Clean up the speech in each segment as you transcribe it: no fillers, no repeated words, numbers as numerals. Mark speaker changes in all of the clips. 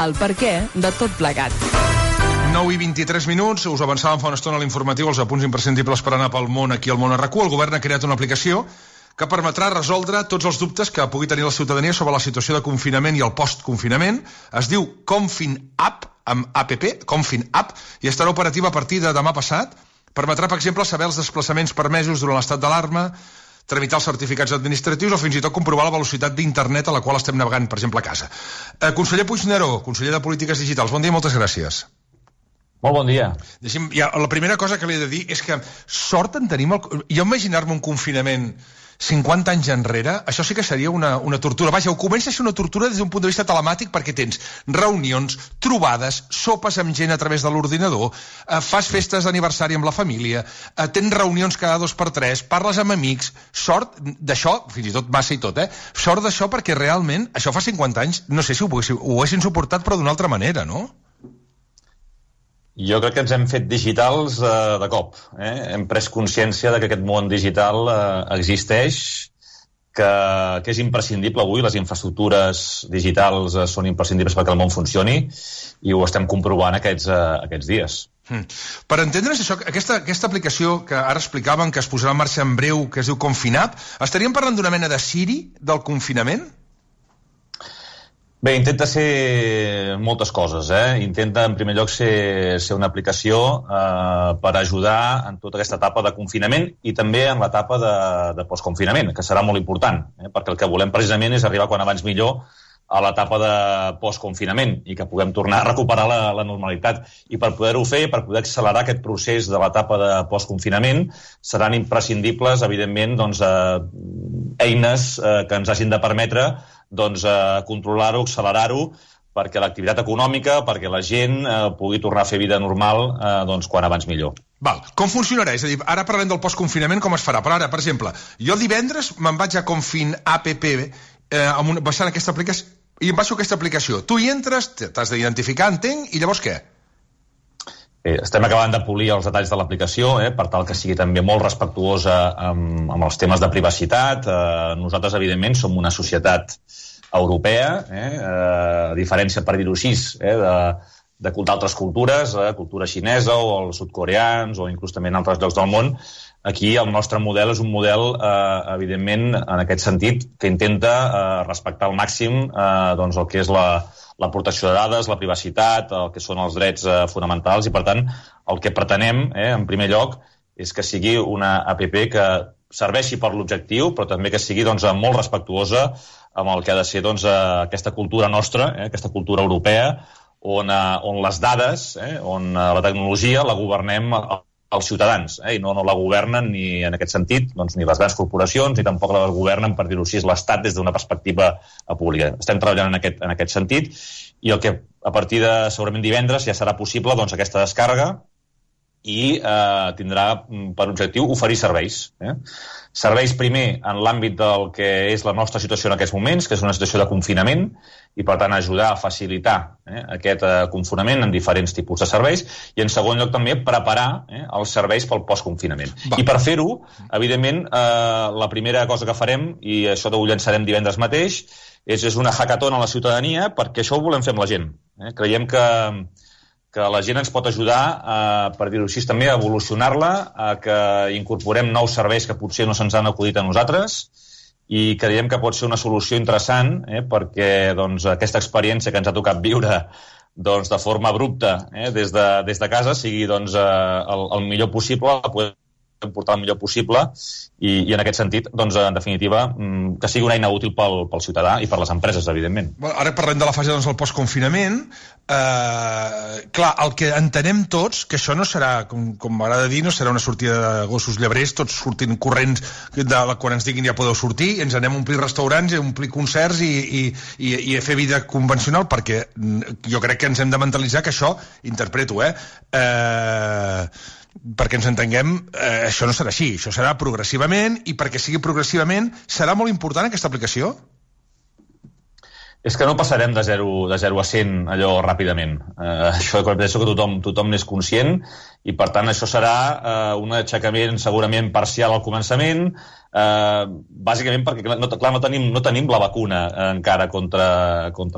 Speaker 1: el perquè de tot plegat.
Speaker 2: 9 i 23 minuts, us avançàvem fa una estona a l'informatiu els apunts imprescindibles per anar pel món aquí al Món RQ. El govern ha creat una aplicació que permetrà resoldre tots els dubtes que pugui tenir la ciutadania sobre la situació de confinament i el post-confinament. Es diu Confin App, amb app, Confin App, i estarà operativa a partir de demà passat. Permetrà, per exemple, saber els desplaçaments permesos durant l'estat d'alarma, tramitar els certificats administratius o fins i tot comprovar la velocitat d'internet a la qual estem navegant, per exemple, a casa. Conseller Puigneró, conseller de Polítiques Digitals, bon dia i moltes gràcies.
Speaker 3: Molt bon dia.
Speaker 2: La primera cosa que li he de dir és que sort en tenim... Jo imaginar-me un confinament 50 anys enrere, això sí que seria una tortura. Vaja, ho comença a ser una tortura des d'un punt de vista telemàtic perquè tens reunions, trobades, sopes amb gent a través de l'ordinador, fas festes d'aniversari amb la família, tens reunions cada 2x3, parles amb amics. Sort d'això, fins i tot massa i tot, sort d'això perquè realment, això fa 50 anys, no sé si ho haguessin suportat però d'una altra manera, no?
Speaker 3: Jo crec que ens hem fet digitals de cop. Hem pres consciència de que aquest món digital existeix, que és imprescindible avui, les infraestructures digitals són imprescindibles perquè el món funcioni, i ho estem comprovant aquests dies.
Speaker 2: Per entendre's això, aquesta aplicació que ara explicaven que es posarà en marxa en breu, que es diu Confinap, estaríem parlant d'una mena de Siri del confinament?
Speaker 3: Bé, intenta ser moltes coses. Intenta, en primer lloc, ser una aplicació per ajudar en tota aquesta etapa de confinament i també en l'etapa de postconfinament, que serà molt important, perquè el que volem precisament és arribar quan abans millor a l'etapa de postconfinament i que puguem tornar a recuperar la normalitat. I per poder-ho fer, per poder accelerar aquest procés de l'etapa de postconfinament, seran imprescindibles, evidentment, eines que ens hagin de permetre controlar-ho, accelerar-ho, perquè l'activitat econòmica, perquè la gent pugui tornar a fer vida normal quan abans millor.
Speaker 2: Val. Com funcionarà? És a dir, ara parlem del postconfinament, com es farà? Però ara, per exemple, jo divendres me'n vaig a Confin App baixant aquesta aplicació i em baixo aquesta aplicació. Tu hi entres, t'has d'identificar, entenc, i llavors què?
Speaker 3: Estem acabant de polir els detalls de l'aplicació per tal que sigui també molt respectuosa amb els temes de privacitat. Nosaltres, evidentment, som una societat europea, a diferència, per dir-ho així, d'altres cultures, cultura xinesa o els sud-coreans o inclús també en altres llocs del món. Aquí el nostre model és un model, evidentment, en aquest sentit, que intenta respectar al màxim el que és la protecció de dades, la privacitat, el que són els drets fonamentals, i per tant el que pretenem, en primer lloc, és que sigui una app que serveixi per l'objectiu, però també que sigui molt respectuosa amb el que ha de ser aquesta cultura nostra, aquesta cultura europea, on les dades, on la tecnologia la governem els ciutadans, i no la governen ni en aquest sentit ni les grans corporacions, ni tampoc la governen, per dir-ho així, l'Estat des d'una perspectiva pública. Estem treballant en aquest sentit, i el que a partir de segurament divendres ja serà possible aquesta descàrrega i tindrà per objectiu oferir serveis. Serveis primer en l'àmbit del que és la nostra situació en aquests moments, que és una situació de confinament, i per tant ajudar a facilitar aquest confinament en diferents tipus de serveis, i en segon lloc també preparar els serveis pel postconfinament. I per fer-ho, evidentment, la primera cosa que farem, i això ho llançarem divendres mateix, és una hackathon a la ciutadania, perquè això ho volem fer amb la gent. Creiem que la gent ens pot ajudar, per dir-ho així, també a evolucionar-la, a que incorporem nous serveis que potser no se'ns han acudit a nosaltres, i creiem que pot ser una solució interessant perquè aquesta experiència que ens ha tocat viure de forma abrupta des de casa sigui el millor possible, poder portar el millor possible, i en aquest sentit, en definitiva, que sigui una eina útil pel ciutadà i per les empreses, evidentment.
Speaker 2: Ara parlem de la fase del postconfinament. Clar, el que entenem tots, que això no serà, com m'agrada dir, no serà una sortida de gossos llebrers, tots sortint corrents quan ens diguin ja podeu sortir, ens anem a omplir restaurants, a omplir concerts i a fer vida convencional, perquè jo crec que ens hem de mentalitzar que això, interpreto, perquè ens entenguem, això no serà així, això serà progressivament, i perquè sigui progressivament serà molt important aquesta aplicació?
Speaker 3: És que no passarem de 0 a 100 allò ràpidament. Això penso que tothom n'és conscient i, per tant, això serà un aixecament segurament parcial al començament, bàsicament perquè, clar, no tenim la vacuna encara contra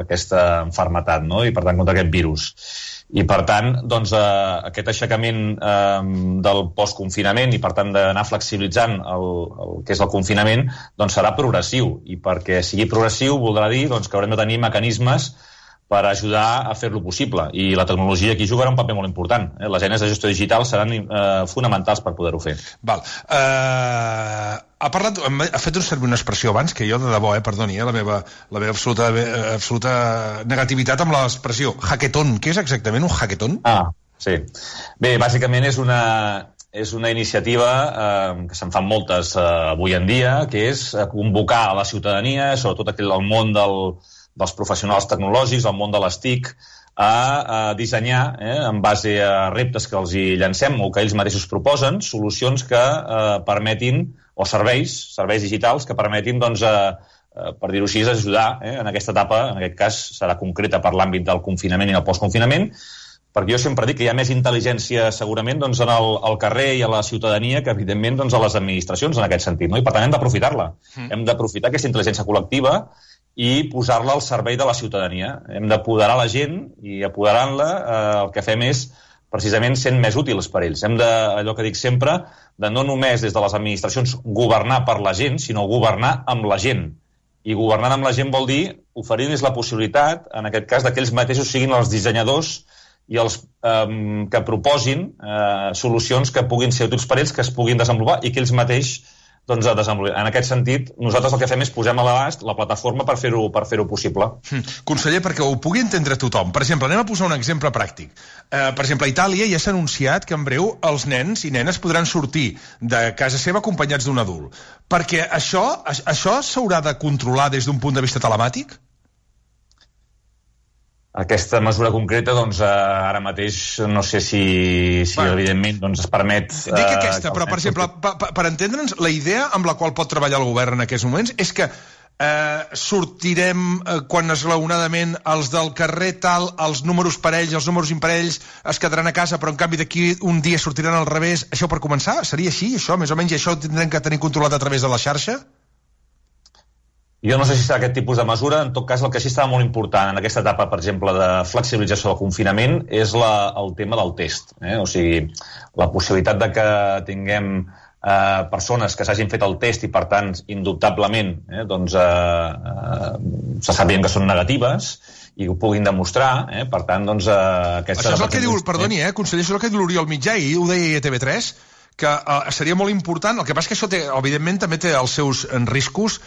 Speaker 3: aquesta malaltia, no? I, per tant, contra aquest virus. I, per tant, doncs, aquest aixecament del postconfinament i, per tant, d'anar flexibilitzant el que és el confinament, doncs serà progressiu. I perquè sigui progressiu voldrà dir doncs, que haurem de tenir mecanismes per ajudar a fer-lo possible. I la tecnologia aquí jugarà un paper molt important. Les eines de gestió digital seran fonamentals per poder-ho fer.
Speaker 2: Val. Ha fet servir una expressió abans que jo, de debò, perdoni, la meva absoluta negativitat amb l'expressió hackathon. Què és exactament un hackathon?
Speaker 3: Sí. Bé, bàsicament és una iniciativa que se'n fan moltes avui en dia, que és convocar a la ciutadania, sobretot el món dels professionals tecnològics, el món de les TIC, a dissenyar, en base a reptes que els hi llancem o que ells mateixos proposen, solucions que permetin, o serveis digitals que permetin, doncs, per dir-ho així, ajudar en aquesta etapa, en aquest cas serà concreta per l'àmbit del confinament i el postconfinament, perquè jo sempre dic que hi ha més intel·ligència segurament doncs, al carrer i a la ciutadania que, evidentment, doncs, a les administracions en aquest sentit, no? I per tant hem d'aprofitar-la. Hem d'aprofitar aquesta intel·ligència col·lectiva i posar-la al servei de la ciutadania. Hem d'apoderar la gent i apoderant-la el que fem és precisament sent més útils per ells. Hem de, allò que dic sempre, de no només des de les administracions governar per la gent, sinó governar amb la gent. I governant amb la gent vol dir oferir-los la possibilitat, en aquest cas, que ells mateixos siguin els dissenyadors i els que proposin solucions que puguin ser útils per ells, que es puguin desenvolupar i que ells mateix doncs, desenvolupar. En aquest sentit, nosaltres el que fem és posem a l'abast la plataforma per fer-ho possible.
Speaker 2: Conseller, perquè ho pugui entendre tothom. Per exemple, anem a posar un exemple pràctic. Per exemple, a Itàlia ja s'ha anunciat que en breu els nens i nenes podran sortir de casa seva acompanyats d'un adult. Perquè això s'haurà de controlar des d'un punt de vista telemàtic?
Speaker 3: Aquesta mesura concreta, doncs, ara mateix no sé si evidentment, doncs, es permet...
Speaker 2: Dic aquesta, però, per exemple, per entendre'ns, la idea amb la qual pot treballar el govern en aquests moments és que sortirem quan esglaonadament els del carrer tal, els números parells, els números imparells es quedaran a casa, però en canvi d'aquí un dia sortiran al revés. Això per començar? Seria així, això, més o menys, i això ho tindrem que tenir controlat a través de la xarxa?
Speaker 3: Jo no sé si serà aquest tipus de mesura. En tot cas, el que sí estava molt important en aquesta etapa, per exemple, de flexibilització del confinament és el tema del test. O sigui, la possibilitat de que tinguem persones que s'hagin fet el test i, per tant, indubtablement, doncs, se sabien que són negatives i ho puguin demostrar, per tant, doncs...
Speaker 2: Això és el que diu, perdoni, conseller, això és el que diu l'Oriol Mitjà, i ho deia a TV3, que seria molt important. El que passa és que això, evidentment, també té els seus riscos.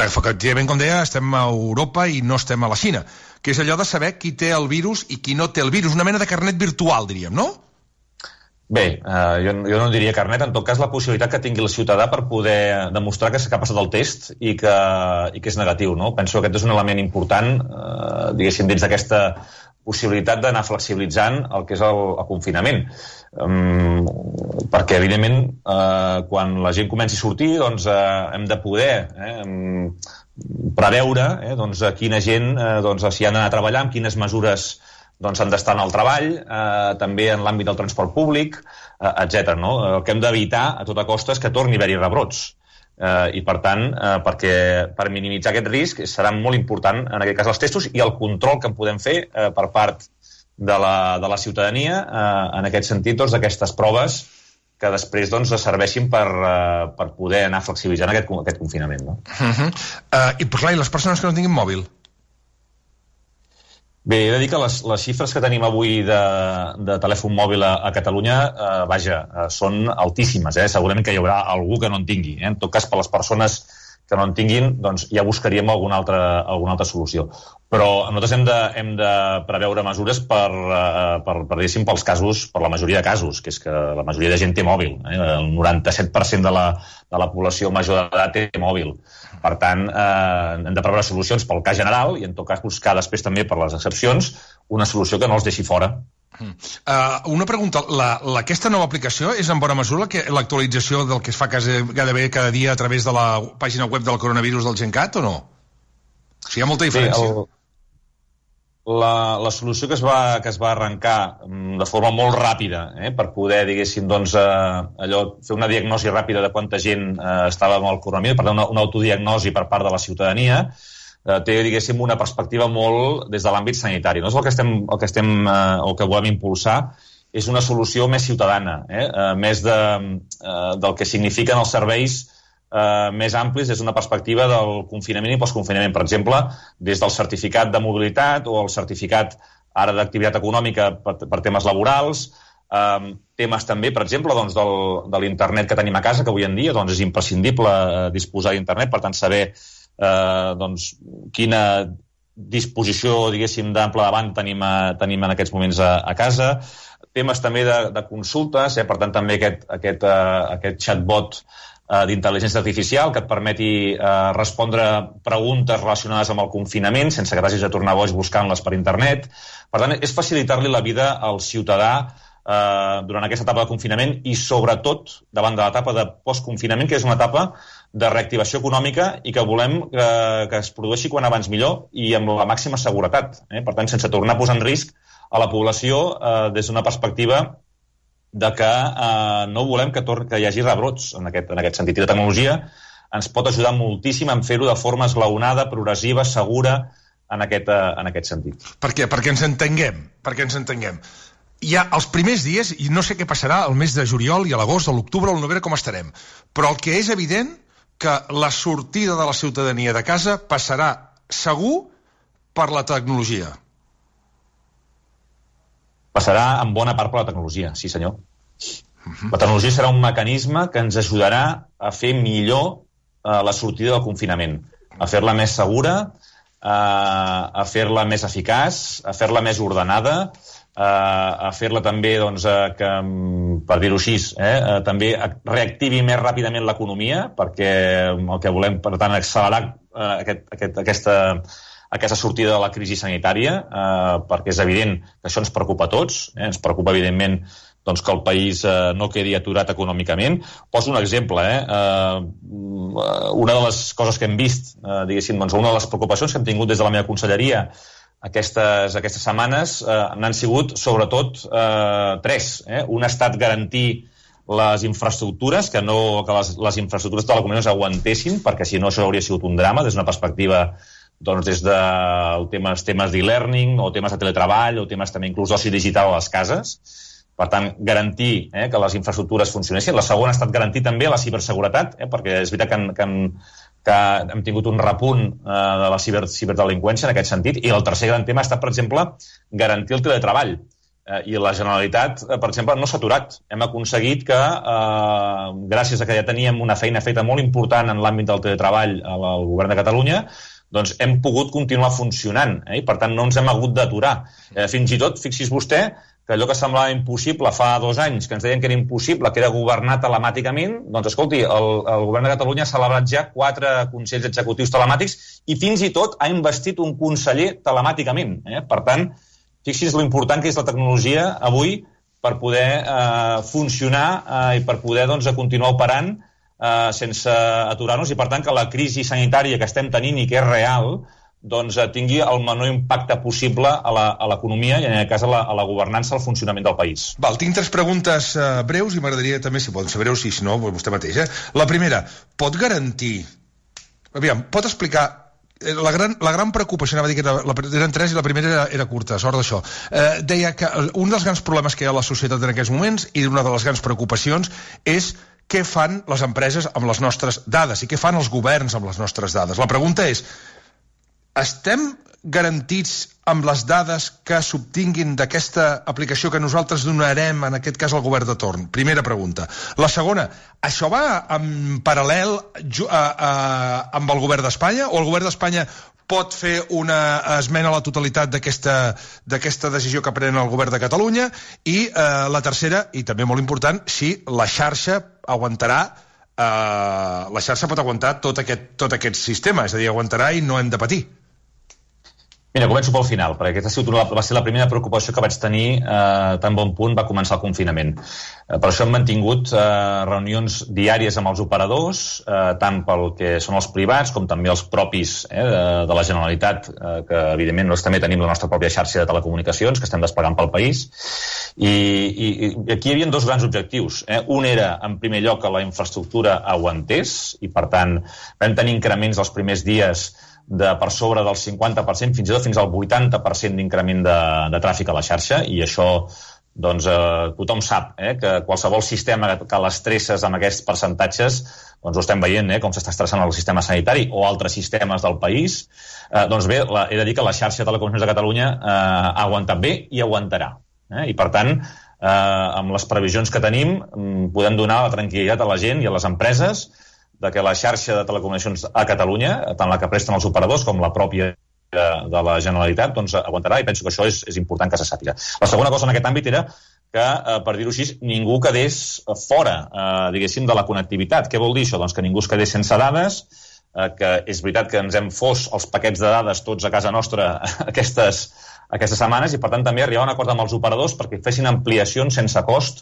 Speaker 2: Efectivament, com deia, estem a Europa i no estem a la Xina, que és allò de saber qui té el virus i qui no té el virus, una mena de carnet virtual, diríem, no?
Speaker 3: Bé, jo no diria carnet, en tot cas la possibilitat que tingui el ciutadà per poder demostrar que s'ha passat el test i que és negatiu, no? Penso que aquest és un element important, diguéssim, dins d'aquesta possibilitat d'anar flexibilitzant el que és el confinament. Perquè, evidentment, quan la gent comenci a sortir, doncs hem de poder preveure doncs, quina gent, doncs, si han d'anar a treballar, amb quines mesures doncs, han d'estar en el treball, també en l'àmbit del transport públic, etc. No? El que hem d'evitar a tota costa és que torni a haver-hi rebrots. I, per tant, per minimitzar aquest risc serà molt important, en aquest cas, els testos i el control que en podem fer per part de la ciutadania, en aquest sentit, doncs, d'aquestes proves que després doncs, serveixin per poder anar flexibilitzant aquest confinament. No?
Speaker 2: I, clar, i les persones que no tinguin mòbil?
Speaker 3: Bé, he de dir que les xifres que tenim avui de telèfon mòbil a Catalunya, són altíssimes. Segurament que hi haurà algú que no en tingui. En tot cas, per les persones que no en tinguin, doncs ja buscaríem alguna altra solució. Però nosaltres hem de preveure mesures diguéssim, pels casos, per la majoria de casos, que és que la majoria de gent té mòbil. El 97% de la població major d'edat té mòbil. Per tant, hem de preveure solucions pel cas general i, en tot cas, buscar després també per les excepcions una solució que no els deixi fora.
Speaker 2: Una pregunta, aquesta nova aplicació és en bona mesura l'actualització del que es fa gairebé cada dia a través de la pàgina web del coronavirus del GenCat o no? O sigui, hi ha molta diferència.
Speaker 3: La solució que es va arrencar de forma molt ràpida per poder, diguéssim, doncs, fer una diagnosi ràpida de quanta gent estava amb el coronavirus, per tant, una autodiagnosi per part de la ciutadania, té, diguéssim, una perspectiva molt des de l'àmbit sanitari. Nosaltres el que volem impulsar és una solució més ciutadana, més del que signifiquen els serveis més amplis des d'una perspectiva del confinament i postconfinament. Per exemple, des del certificat de mobilitat o el certificat ara d'activitat econòmica per temes laborals, temes també, per exemple, doncs, de l'internet que tenim a casa, que avui en dia doncs, és imprescindible disposar d'internet, per tant, saber doncs, quina disposició, diguéssim, d'ample de banda tenim en aquests moments a casa. Temes també de consultes, per tant, també aquest chatbot d'intel·ligència artificial que et permeti respondre preguntes relacionades amb el confinament sense que t'hagis de tornar boig buscant-les per internet. Per tant, és facilitar-li la vida al ciutadà durant aquesta etapa de confinament i, sobretot, davant de l'etapa de postconfinament, que és una etapa de reactivació econòmica i que volem que es produeixi quan abans millor i amb la màxima seguretat. Per tant, sense tornar a posar en risc a la població des d'una perspectiva de que no volem que hi hagi rebrots en aquest sentit. I la tecnologia ens pot ajudar moltíssim en fer-ho de forma esglaonada, progressiva, segura, en aquest sentit.
Speaker 2: Per què? Perquè ens entenguem. Hi ha els primers dies, i no sé què passarà el mes de juliol i a l'agost, a l'octubre, al novembre, com estarem, però el que és evident que la sortida de la ciutadania de casa passarà segur per la tecnologia.
Speaker 3: Passarà en bona part per la tecnologia, sí senyor. La tecnologia serà un mecanisme que ens ajudarà a fer millor la sortida del confinament, a fer-la més segura, a fer-la més eficaç, a fer-la més ordenada, a fer-la també, doncs, que, per dir-ho així, també reactivi més ràpidament l'economia, perquè el que volem, per tant, accelerar aquesta sortida de la crisi sanitària, perquè és evident que això ens preocupa a tots, ens preocupa, evidentment, doncs, que el país no quedi aturat econòmicament. Poso un exemple. Una de les coses que hem vist, diguéssim, doncs, una de les preocupacions que hem tingut des de la meva conselleria aquestes setmanes n'han sigut, sobretot, tres. Un ha estat garantir les infraestructures, que les infraestructures de telecomunicacions aguantessin, perquè si no això hauria sigut un drama des d'una perspectiva doncs des de temes d'e-learning o temes de teletreball o temes també inclús d'oci digital a les cases. Per tant, garantir que les infraestructures funcionessin. La segona ha estat garantir també la ciberseguretat, perquè és veritat que hem tingut un repunt de la ciberdelinqüència en aquest sentit. I el tercer gran tema ha estat, per exemple, garantir el teletreball. I la Generalitat, per exemple, no s'ha aturat. Hem aconseguit que, gràcies a que ja teníem una feina feta molt important en l'àmbit del teletreball al Govern de Catalunya, doncs hem pogut continuar funcionant, i per tant no ens hem hagut d'aturar. Fins i tot, fixi's vostè, que allò que semblava impossible fa 2 anys, que ens deien que era impossible, que era governar telemàticament, doncs escolti, el Govern de Catalunya ha celebrat ja 4 consells executius telemàtics i fins i tot ha investit un conseller telemàticament. Per tant, fixi's l'important que és la tecnologia avui per poder funcionar i per poder continuar operant sense aturar-nos i, per tant, que la crisi sanitària que estem tenint i que és real doncs tingui el menor impacte possible a l'economia i, en aquest cas, a la governança, al funcionament del país.
Speaker 2: Val, tinc 3 preguntes breus i m'agradaria també, si poden ser breus, i si no, vostè mateix. La primera, pot garantir... Aviam, pot explicar... La gran preocupació, anava a dir que eren 3 i la primera era curta, sort d'això. Deia que un dels grans problemes que hi ha a la societat en aquests moments i una de les grans preocupacions és què fan les empreses amb les nostres dades i què fan els governs amb les nostres dades. La pregunta és, estem garantits amb les dades que s'obtinguin d'aquesta aplicació que nosaltres donarem, en aquest cas, al govern de torn? Primera pregunta. La segona, això va en paral·lel amb el govern d'Espanya o el govern d'Espanya pot fer una esmena a la totalitat d'aquesta decisió que pren el govern de Catalunya? I la tercera, i també molt important, si la xarxa aguantarà, la xarxa pot aguantar tot aquest sistema, és a dir, aguantarà i no hem de patir.
Speaker 3: Mira, començo pel final, perquè aquesta va ser la primera preocupació que vaig tenir tan bon punt va començar el confinament. Per això hem mantingut reunions diàries amb els operadors, tant pel que són els privats com també els propis de la Generalitat, que evidentment nosaltres també tenim la nostra pròpia xarxa de telecomunicacions que estem desplegant pel país. I aquí hi havia dos grans objectius. Un era, en primer lloc, que la infraestructura aguantés i, per tant, vam tenir increments els primers dies per sobre del 50%, fins i tot fins al 80% d'increment de tràfic a la xarxa, i això doncs, tothom sap que qualsevol sistema que l'estresses amb aquests percentatges, doncs ho estem veient, com s'està estressant el sistema sanitari o altres sistemes del país. Doncs bé, he de dir que la xarxa de telecomunicacions de Catalunya ha aguantat bé i aguantarà. I per tant, amb les previsions que tenim, podem donar la tranquil·litat a la gent i a les empreses de que la xarxa de telecomunicacions a Catalunya, tant la que presten els operadors com la pròpia de la Generalitat, doncs aguantarà, i penso que això és important que se sàpiga. La segona cosa en aquest àmbit era que, per dir-ho així, ningú quedés fora, diguéssim, de la connectivitat. Què vol dir això? Doncs que ningú es quedés sense dades, que és veritat que ens hem fos els paquets de dades tots a casa nostra aquestes setmanes, i per tant també arribar a un acord amb els operadors perquè fessin ampliacions sense cost,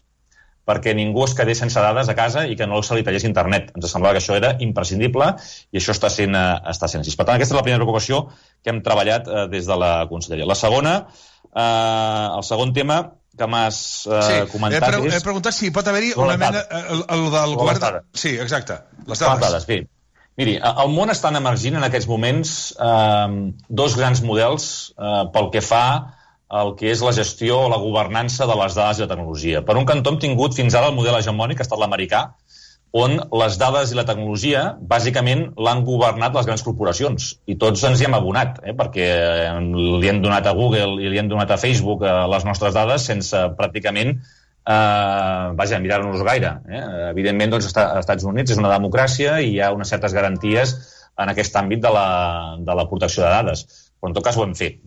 Speaker 3: perquè ningú es quedés sense dades a casa i que no se li tallés internet. Ens semblava que això era imprescindible i això està sent així. Per tant, aquesta és la primera preocupació que hem treballat des de la Conselleria. La segona, el segon tema que m'has comentat és...
Speaker 2: He preguntat si pot haver-hi una mena... El del govern... Sí, exacte. Les dades.
Speaker 3: Bé. Miri, el món està emergint en aquests moments dos grans models pel que fa el que és la gestió o la governança de les dades i la tecnologia. Per un cantó hem tingut fins ara el model hegemònic, que ha estat l'americà, on les dades i la tecnologia bàsicament l'han governat les grans corporacions. I tots ens hi hem abonat, perquè li hem donat a Google i li hem donat a Facebook les nostres dades sense pràcticament mirar-nos gaire. Evidentment, doncs, als Estats Units és una democràcia i hi ha unes certes garanties en aquest àmbit de la protecció de dades. Però en tot cas ho hem fet.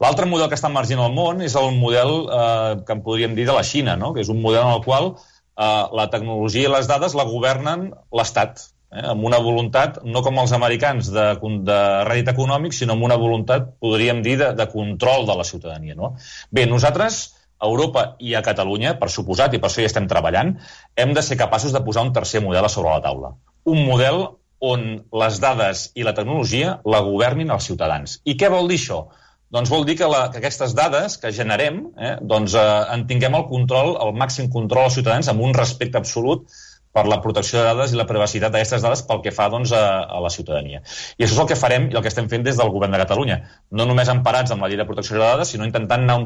Speaker 3: L'altre model que està emergint al món és el model que en podríem dir de la Xina, que és un model en el qual la tecnologia i les dades la governen l'Estat, amb una voluntat, no com els americans de rèdit econòmic, sinó amb una voluntat, podríem dir, de control de la ciutadania. Bé, nosaltres, a Europa i a Catalunya, per suposat, i per això hi estem treballant, hem de ser capaços de posar un tercer model a sobre la taula. Un model on les dades i la tecnologia la governin els ciutadans. I què vol dir això? Doncs vol dir que aquestes dades que generem en tinguem el màxim control als ciutadans amb un respecte absolut per la protecció de dades i la privacitat d'aquestes dades pel que fa a la ciutadania. I això és el que farem i el que estem fent des del Govern de Catalunya. No només emparats amb la llei de protecció de dades, sinó intentant anar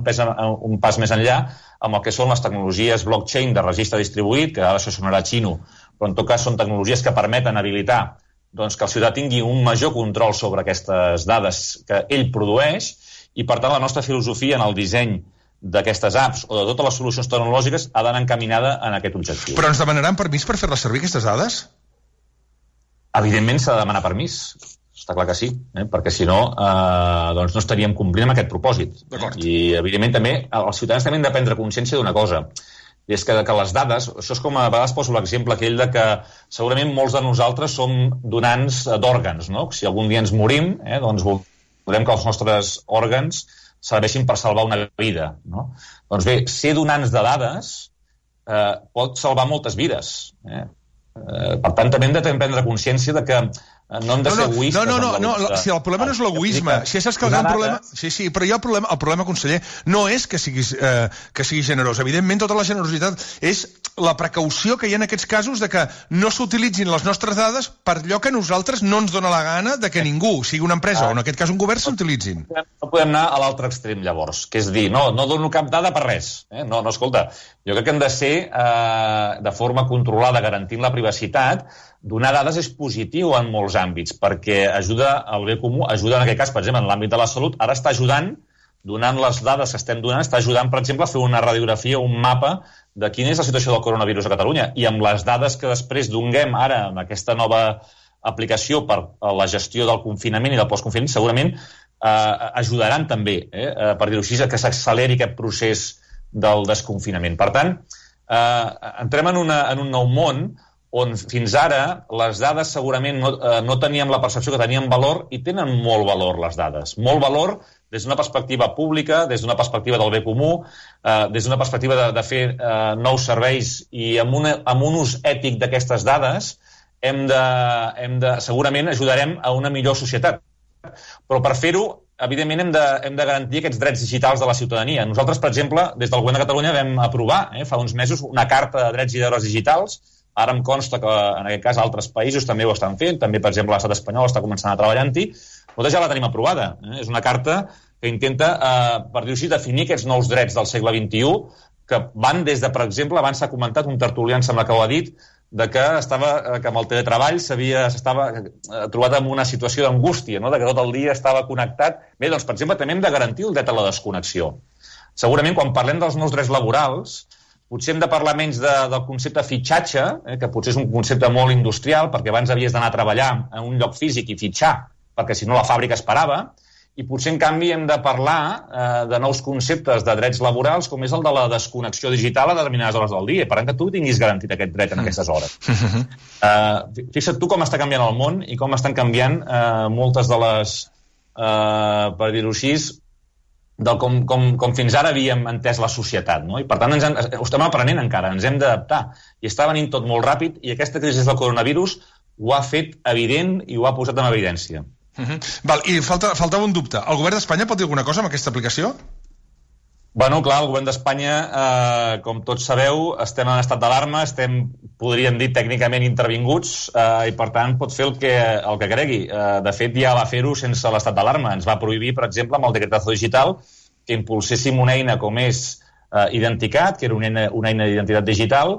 Speaker 3: un pas més enllà amb el que són les tecnologies blockchain de registre distribuït, que ara això sonarà xino, però en tot cas són tecnologies que permeten habilitar que el ciutadà tingui un major control sobre aquestes dades que ell produeix, i per tant la nostra filosofia en el disseny d'aquestes apps o de totes les solucions tecnològiques ha d'anar encaminada en aquest objectiu.
Speaker 2: Però ens demanaran permís per fer-les servir, aquestes dades?
Speaker 3: Evidentment s'ha de demanar permís, està clar que sí, perquè si no no estaríem complint amb aquest propòsit. I evidentment també els ciutadans també han de prendre consciència d'una cosa, i és que les dades, això és com a vegades poso l'exemple aquell de que segurament molts de nosaltres som donants d'òrgans, Si algun dia ens morim, doncs voldrem que els nostres òrgans serveixin per salvar una vida, Doncs bé, ser donants de dades pot salvar moltes vides. Per tant, també hem de prendre consciència de que no hem de ser egoistes.
Speaker 2: No, si el problema no és l'egoisme, si saps que el gran problema... Sí, però el problema, conseller, no és que siguis generós. Evidentment, tota la generositat és la precaució que hi ha en aquests casos de que no s'utilitzin les nostres dades per allò que a nosaltres no ens dona la gana de que ningú, sigui una empresa o en aquest cas un govern, s'utilitzin.
Speaker 3: No podem anar a l'altre extrem, llavors, que és dir, no dono cap dada per res. No, escolta, jo crec que hem de ser de forma controlada, garantint la privacitat. Donar dades és positiu en molts àmbits, perquè ajuda al bé comú, ajuda en aquest cas, per exemple, en l'àmbit de la salut, ara està ajudant, donant les dades que estem donant, està ajudant, per exemple, a fer una radiografia, un mapa de quina és la situació del coronavirus a Catalunya. I amb les dades que després donguem ara amb aquesta nova aplicació per a la gestió del confinament i del postconfinament, segurament ajudaran també, per dir-ho així, que s'acceleri aquest procés del desconfinament. Per tant, entrem en un nou món on fins ara les dades segurament no teníem la percepció que tenien valor, i tenen molt valor les dades. Molt valor des d'una perspectiva pública, des d'una perspectiva del bé comú, des d'una perspectiva de fer nous serveis, i amb un ús ètic d'aquestes dades segurament ajudarem a una millor societat. Però per fer-ho, evidentment, hem de garantir aquests drets digitals de la ciutadania. Nosaltres, per exemple, des del Govern de Catalunya vam aprovar fa uns mesos una carta de drets i deures digitals. Ara em consta que, en aquest cas, altres països també ho estan fent. També, per exemple, l'estat espanyol està començant a treballar-hi. Nosaltres ja la tenim aprovada. És una carta que intenta, per dir-ho així, definir aquests nous drets del segle XXI, que van des de, per exemple, abans s'ha comentat, un tertulià, em sembla que ho ha dit, que amb el teletreball s'estava trobat en una situació d'angústia, no? De que tot el dia estava connectat. Bé, doncs, per exemple, també hem de garantir el dret a la desconnexió. Segurament, quan parlem dels nous drets laborals, potser hem de parlar menys del concepte fitxatge, que potser és un concepte molt industrial, perquè abans havies d'anar a treballar en un lloc físic i fitxar, perquè si no la fàbrica es parava, i potser, en canvi, hem de parlar de nous conceptes de drets laborals, com és el de la desconnexió digital a determinades hores del dia, per tant que tu tinguis garantit aquest dret en aquestes hores. Fixa't tu com està canviant el món i com estan canviant moltes de les, per dir-ho així, com fins ara havíem entès la societat, no? I per tant ho estem aprenent encara, ens hem d'adaptar, i està venint tot molt ràpid, i aquesta crisi del coronavirus ho ha fet evident i ho ha posat en evidència.
Speaker 2: Val, i faltava un dubte. El govern d'Espanya pot dir alguna cosa amb aquesta aplicació?
Speaker 3: Bueno, clar, el govern d'Espanya, com tots sabeu, estem en estat d'alarma, podríem dir, tècnicament intervinguts, i per tant pot fer el que cregui. De fet, ja va fer-ho sense l'estat d'alarma. Ens va prohibir, per exemple, amb el decretazo digital, que impulséssim una eina com és Identicat, que era una eina d'identitat digital,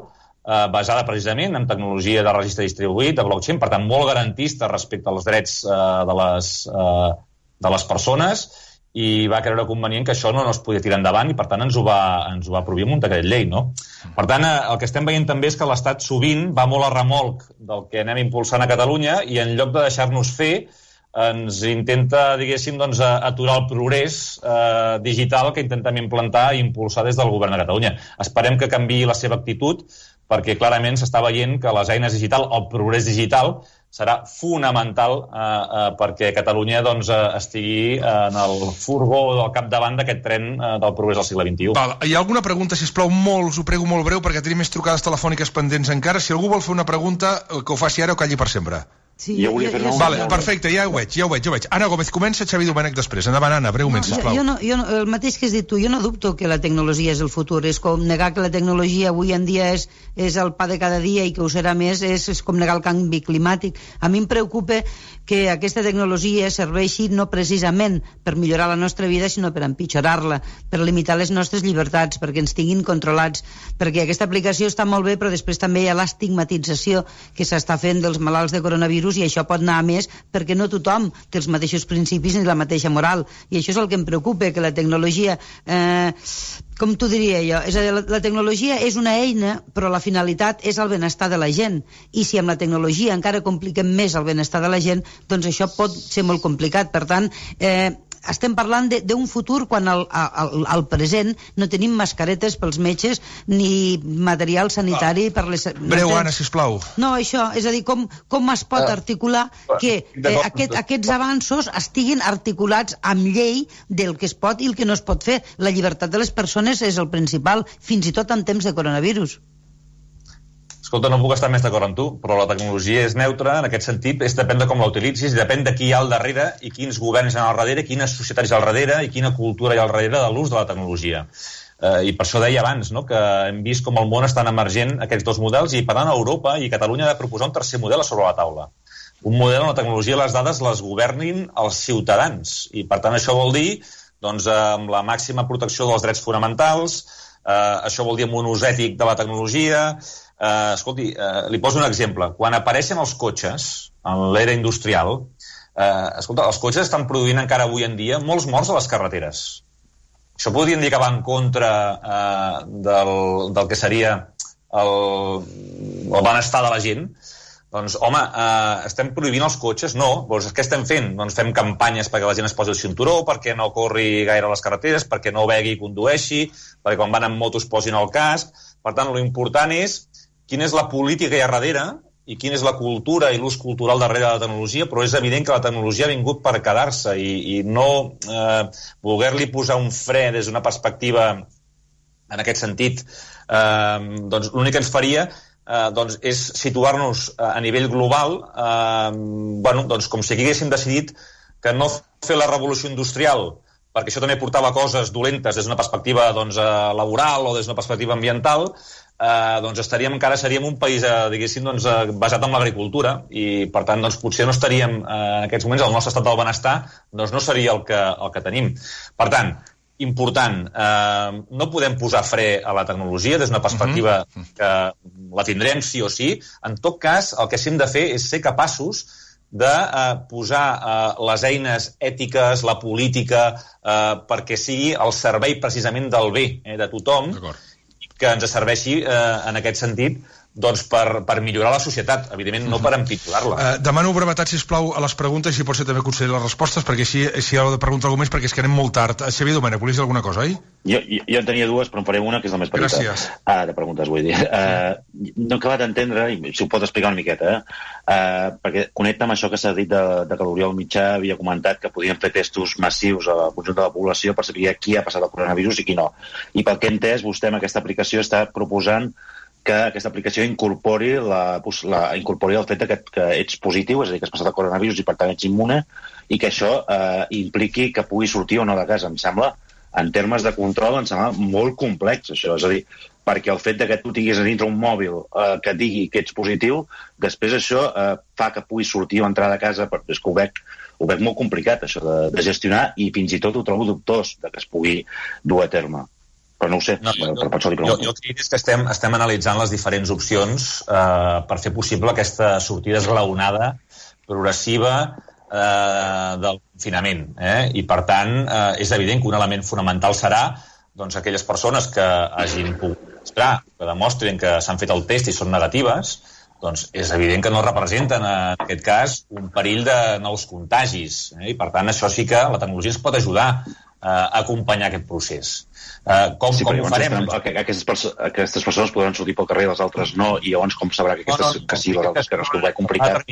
Speaker 3: basada precisament en tecnologia de registre distribuït, de blockchain, per tant, molt garantista respecte als drets de les persones, i va creure convenient que això no es podia tirar endavant, i per tant ens ho va prohibir amb un decret llei, no? Per tant, el que estem veient també és que l'Estat sovint va molt a remolc del que anem impulsant a Catalunya, i en lloc de deixar-nos fer, ens intenta, diguéssim, doncs, aturar el progrés digital que intentem implantar i impulsar des del Govern de Catalunya. Esperem que canviï la seva actitud, perquè clarament s'està veient que les eines digitals, el progrés digital, serà fonamental perquè Catalunya estigui en el furgó del capdavant d'aquest tren del progrés del segle XXI.
Speaker 2: Val. Hi ha alguna pregunta, sisplau, us ho prego molt breu, perquè tenim més trucades telefòniques pendents encara. Si algú vol fer una pregunta, que ho faci ara o calli per sempre.
Speaker 4: Sí, jo volia fer
Speaker 2: vale, perfecte, ja ho veig. Anna Gómez comença, Xavi Domènech després. Endavant, Anna, breument, sisplau.
Speaker 4: El mateix que has dit tu, jo no dubto que la tecnologia és el futur. És com negar que la tecnologia avui en dia és el pa de cada dia i que ho serà més, és com negar el canvi climàtic. A mi em preocupa que aquesta tecnologia serveixi no precisament per millorar la nostra vida, sinó per empitjorar-la, per limitar les nostres llibertats, perquè ens tinguin controlats, perquè aquesta aplicació està molt bé, però després també hi ha l'estigmatització que s'està fent dels malalts de coronavirus, i això pot anar a més perquè no tothom té els mateixos principis ni la mateixa moral, i això és el que em preocupa, que la tecnologia com t'ho diria jo, és a dir, la tecnologia és una eina, però la finalitat és el benestar de la gent, i si amb la tecnologia encara compliquem més el benestar de la gent, doncs això pot ser molt complicat. Per tant, estem parlant d'un futur quan al present no tenim mascaretes pels metges ni material sanitari per les...
Speaker 2: Breu, Anna, sisplau.
Speaker 4: No, això, és a dir, com es pot articular que aquests avanços estiguin articulats amb llei del que es pot i el que no es pot fer. La llibertat de les persones és el principal, fins i tot en temps de coronavirus.
Speaker 3: Escolta, no puc estar més d'acord amb tu, però la tecnologia és neutra, en aquest sentit, depèn de com la utilitzis, depèn de qui hi ha al darrere i quins governs hi ha al darrere, quines societats hi ha al darrere i quina cultura hi ha al darrere de l'ús de la tecnologia. I per això deia abans, no?, que hem vist com el món estan emergent aquests dos models, i per tant Europa i Catalunya ha de proposar un tercer model a sobre la taula. Un model on la tecnologia i les dades les governin els ciutadans, i per tant això vol dir, doncs, amb la màxima protecció dels drets fonamentals, això vol dir amb un ús ètic de la tecnologia. Escolti, li poso un exemple. Quan apareixen els cotxes en l'era industrial, escolta, els cotxes estan produint encara avui en dia molts morts a les carreteres. Això podríem dir que va en contra del que seria el benestar de la gent. Doncs, home, estem prohibint els cotxes? No. Doncs què estem fent? Doncs fem campanyes perquè la gent es posi el cinturó, perquè no corri gaire a les carreteres, perquè no begui i condueixi, perquè quan van amb motos posin el casc. Per tant, l'important és quina és la política que hi ha darrere i quina és la cultura i l'ús cultural darrere de la tecnologia, però és evident que la tecnologia ha vingut per quedar-se i no voler-li posar un fre des d'una perspectiva en aquest sentit, doncs l'únic que ens faria doncs és situar-nos a nivell global doncs com si aquí haguéssim decidit que no fer la revolució industrial, perquè això també portava coses dolentes des d'una perspectiva doncs, laboral o des d'una perspectiva ambiental, doncs encara seríem un país diguéssim, doncs, basat en l'agricultura i per tant doncs, potser no estaríem en aquests moments, el nostre estat del benestar doncs, no seria el que tenim. Per tant, important, no podem posar fre a la tecnologia des d'una perspectiva que la tindrem sí o sí. En tot cas, el que sí hem de fer és ser capaços de posar les eines ètiques, la política, perquè sigui al servei precisament del bé de tothom, que ens serveixi en aquest sentit doncs per millorar la societat, evidentment no per empitjorar-la.
Speaker 2: Demano brevetat, sisplau, a les preguntes i si pot ser també conseller les respostes, perquè si hi ha de preguntar alguna més, perquè és que anem molt tard. Xavier Domènech, volies dir alguna cosa, oi?
Speaker 5: Jo en tenia dues, però en faré una, que és la més petita.
Speaker 2: Gràcies.
Speaker 5: De preguntes, vull dir. No he acabat d'entendre, i si ho pot explicar una miqueta, perquè connecta amb això que s'ha dit de que l'Oriol Mitjà havia comentat que podien fer testos massius al conjunt de la població per saber qui ha passat el coronavirus i qui no. I pel que he entès, vostè amb aquesta aplicació està proposant que aquesta aplicació incorpori el fet que ets positiu, és a dir, que has passat el coronavirus i per tant ets immune, i que això impliqui que pugui sortir o no de casa. Em sembla, en termes de control, em sembla molt complex, això. És a dir, perquè el fet que tu tinguis a dintre un mòbil que et digui que ets positiu, després això fa que puguis sortir o entrar de casa, és que ho veig molt complicat, això de gestionar, i fins i tot ho trobo dubtós que es pugui dur a terme. Però no ho sé, per això li pregunto.
Speaker 3: Jo crec que estem analitzant les diferents opcions per fer possible aquesta sortida esglaonada, progressiva del confinament. I, per tant, és evident que un element fonamental serà doncs, aquelles persones que hagin pogut demostrar, que demostrin que s'han fet el test i són negatives, doncs és evident que no representen, en aquest cas, un perill de nous contagis. I, per tant, això sí que la tecnologia ens pot ajudar a acompanyar aquest procés. Com ho farem?
Speaker 5: Aquestes persones podran sortir pel carrer i les altres no, i llavors com sabrà que aquestes que sí, les altres que no, és que ho veig complicat.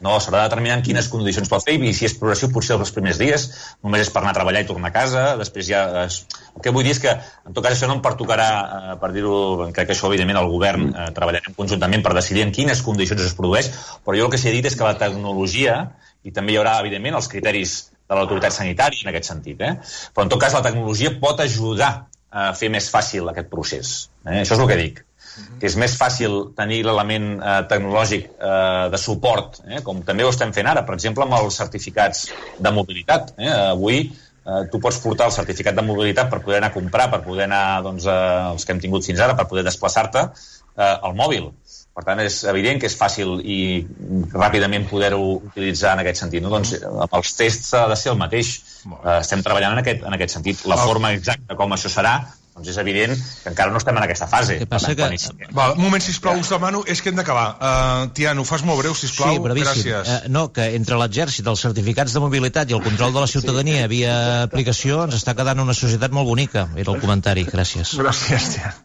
Speaker 3: No, s'haurà de determinar en quines condicions pot fer, i si és progressiu potser els primers dies només és per anar a treballar i tornar a casa, després ja... El que vull dir és que, en tot cas, això no em pertocarà, per dir-ho, crec que això, evidentment, el govern treballarem conjuntament per decidir en quines condicions es produeix, però jo el que s'ha dit és que la tecnologia, i també hi haurà, evidentment, els criteris de l'autoritat sanitària en aquest sentit, però en tot cas la tecnologia pot ajudar a fer més fàcil aquest procés. Això és el que dic, que és més fàcil tenir l'element tecnològic de suport, com també ho estem fent ara, per exemple, amb els certificats de mobilitat. Avui tu pots portar el certificat de mobilitat per poder anar a comprar, per poder anar, doncs, els que hem tingut fins ara, per poder desplaçar-te al mòbil. Per tant, és evident que és fàcil i ràpidament poder-ho utilitzar en aquest sentit. Doncs amb els tests ha de ser el mateix. Estem treballant en aquest sentit. La forma exacta com això serà, doncs és evident que encara no estem en aquesta fase.
Speaker 2: Un moment, sisplau, us demano, és que hem d'acabar. Tiano, fas molt breu, sisplau.
Speaker 6: Sí, brevíssim. Gràcies. No, que entre l'exèrcit, els certificats de mobilitat i el control de la ciutadania via aplicació ens està quedant una societat molt bonica. Era el comentari. Gràcies.
Speaker 2: Gràcies, Tiano.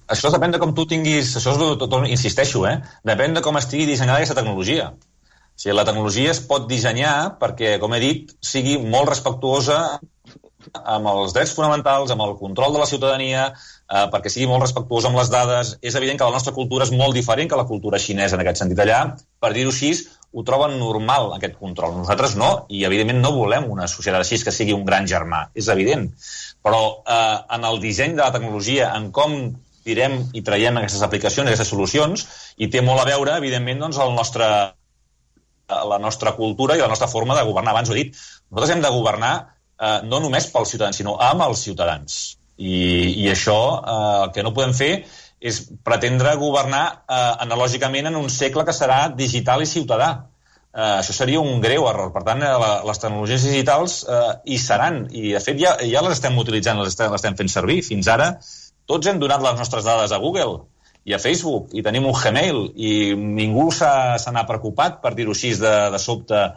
Speaker 3: Això depèn de com tu tinguis, això insisteixo, depèn de com estigui dissenyada aquesta tecnologia. O sigui, la tecnologia es pot dissenyar perquè, com he dit, sigui molt respectuosa amb els drets fonamentals, amb el control de la ciutadania, perquè sigui molt respectuosa amb les dades. És evident que la nostra cultura és molt diferent que la cultura xinesa en aquest sentit. Allà, per dir-ho així, ho troben normal, aquest control. Nosaltres no, i evidentment no volem una societat així que sigui un gran germà, és evident. Però en el disseny de la tecnologia, en com tirem i traiem aquestes aplicacions, aquestes solucions, i té molt a veure, evidentment, doncs, la nostra cultura i la nostra forma de governar. Abans ho he dit, nosaltres hem de governar no només pels ciutadans, sinó amb els ciutadans. I això, el que no podem fer és pretendre governar analògicament en un segle que serà digital i ciutadà. Això seria un greu error. Per tant, les tecnologies digitals hi seran, i de fet ja les estem utilitzant, les estem fent servir. Fins ara tots hem donat les nostres dades a Google i a Facebook, i tenim un Gmail, i ningú se n'ha preocupat, per dir-ho així, de sobte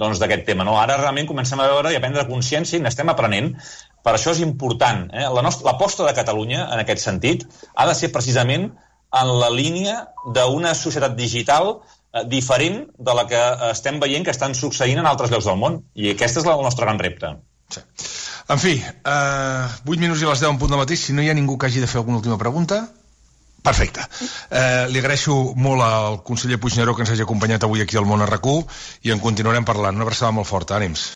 Speaker 3: d'aquest tema. Ara realment comencem a veure i a prendre consciència i n'estem aprenent. Per això és important. L'aposta de Catalunya, en aquest sentit, ha de ser precisament en la línia d'una societat digital diferent de la que estem veient que estan succeint en altres llocs del món. I aquest és el nostre gran repte.
Speaker 2: Sí. En fi, 8 minuts i les 10 en punt de matí. Si no hi ha ningú que hagi de fer alguna última pregunta... Perfecte. Li agraeixo molt al conseller Puigneró que ens hagi acompanyat avui aquí al Món a RAC1 i en continuarem parlant. Una abraçada molt forta. Ànims.